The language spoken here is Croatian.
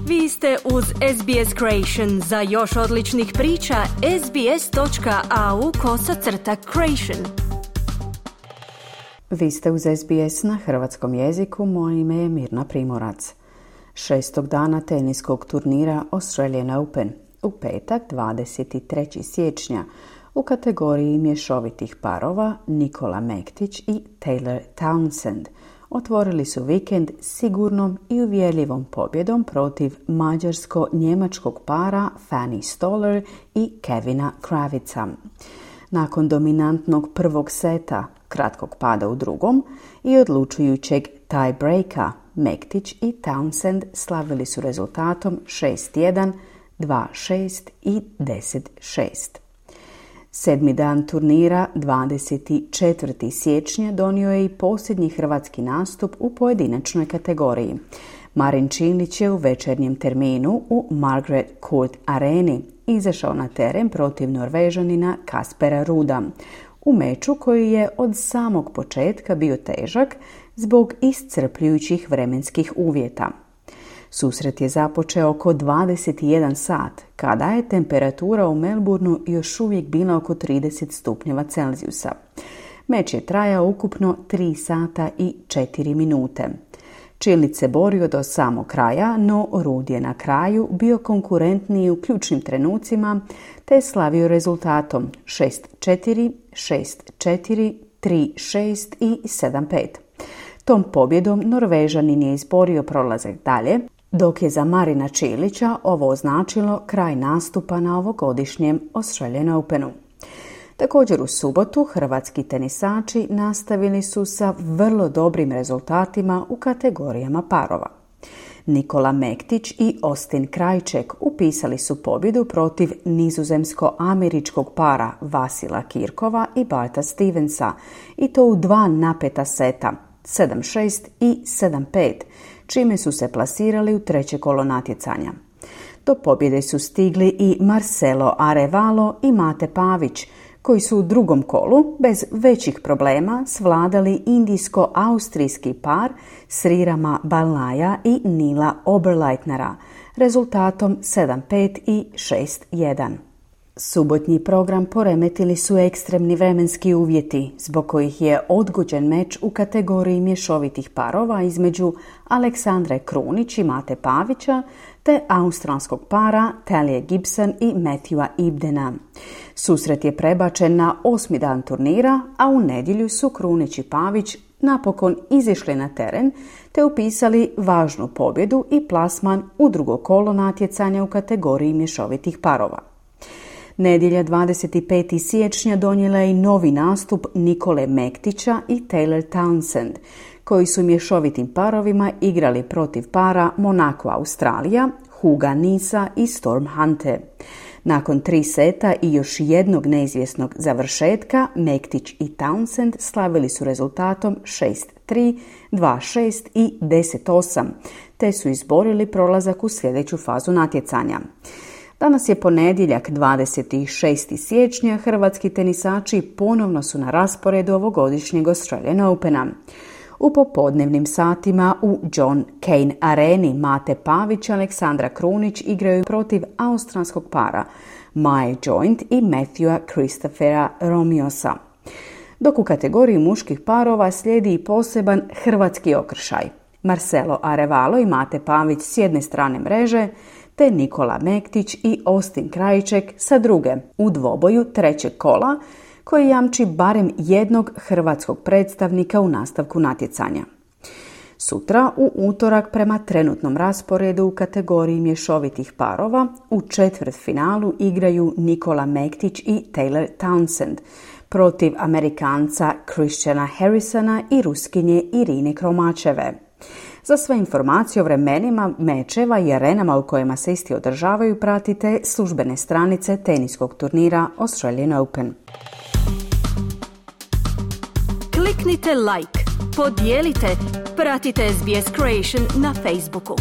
Vi ste uz SBS Creation. Za još odličnih priča, sbs.au/creation. Vi ste uz SBS na hrvatskom jeziku, moje ime je Mirna Primorac. 6. dana teniskog turnira Australian Open, u petak 23. siječnja, u kategoriji mješovitih parova Nikola Mektić i Taylor Townsend otvorili su vikend sigurnom i uvjerljivom pobjedom protiv mađarsko-njemačkog para Fanny Stoller i Kevina Kravica. Nakon dominantnog prvog seta, kratkog pada u drugom i odlučujućeg tie-breaka, Mektić i Townsend slavili su rezultatom 6-1, 2-6 i 10-6. 7. dan turnira, 24. siječnja, donio je i posljednji hrvatski nastup u pojedinačnoj kategoriji. Marin Čilić je u večernjem terminu u Margaret Court Areni izašao na teren protiv Norvežanina Kaspera Ruda, u meču koji je od samog početka bio težak zbog iscrpljujućih vremenskih uvjeta. Susret je započeo oko 21 sat, kada je temperatura u Melbourneu još uvijek bila oko 30 stupnjeva Celzijusa. Meč je trajao ukupno 3 sata i 4 minute. Čilić se borio do samog kraja, no Rud je na kraju bio konkurentniji u ključnim trenucima, te je slavio rezultatom 6-4, 6-4, 3-6 i 7-5. Tom pobjedom Norvežanin je izborio prolazak dalje, dok je za Marina Čilića ovo označilo kraj nastupa na ovogodišnjem Australian Openu. Također u subotu hrvatski tenisači nastavili su sa vrlo dobrim rezultatima u kategorijama parova. Nikola Mektić i Austin Krajček upisali su pobjedu protiv nizozemsko-američkog para Vasila Kirkova i Barta Stevensa, i to u 2 napeta seta, 7-6 i 7-5, čime su se plasirali u treće kolo natjecanja. Do pobjede su stigli i Marcelo Arevalo i Mate Pavić, koji su u drugom kolu bez većih problema svladali indijsko-austrijski par Srirama Balnaja i Nila Oberleitnera rezultatom 7-5 i 6-1. Subotnji program poremetili su ekstremni vremenski uvjeti, zbog kojih je odgođen meč u kategoriji mješovitih parova između Aleksandre Krunić i Mate Pavića te australskog para Talije Gibson i Matthewa Ibdena. Susret je prebačen na 8. dan turnira, a u nedjelju su Krunić i Pavić napokon izišli na teren te upisali važnu pobjedu i plasman u drugo kolo natjecanja u kategoriji mješovitih parova. Nedjelja 25. siječnja donijela je i novi nastup Nikole Mektića i Taylor Townsend, koji su mješovitim parovima igrali protiv para Monaco Australija, Huga Nisa i Storm Hunte. Nakon 3 seta i još jednog neizvjesnog završetka, Mektić i Townsend slavili su rezultatom 6-3, 2-6 i 10-8, te su izborili prolazak u sljedeću fazu natjecanja. Danas je ponedjeljak 26. siječnja, hrvatski tenisači ponovno su na rasporedu ovogodišnjeg Australian Opena. U popodnevnim satima u John Cain Areni Mate Pavić i Aleksandra Krunić igraju protiv australskog para Mae Joint i Matthewa Christophera Romiosa. Dok u kategoriji muških parova slijedi i poseban hrvatski okršaj. Marcelo Arevalo i Mate Pavić s jedne strane mreže, te Nikola Mektić i Austin Krajček sa druge, u dvoboju trećeg kola, koji jamči barem jednog hrvatskog predstavnika u nastavku natjecanja. Sutra, u utorak, prema trenutnom rasporedu u kategoriji mješovitih parova, u četvrtfinalu igraju Nikola Mektić i Taylor Townsend protiv Amerikanca Christiana Harrisona i Ruskinje Irine Kromačeve. Za sve informacije o vremenima, mečeva i arenama u kojima se isti održavaju pratite službene stranice teniskog turnira Australian Open. Kliknite like, podijelite, pratite SBS Creation na Facebooku.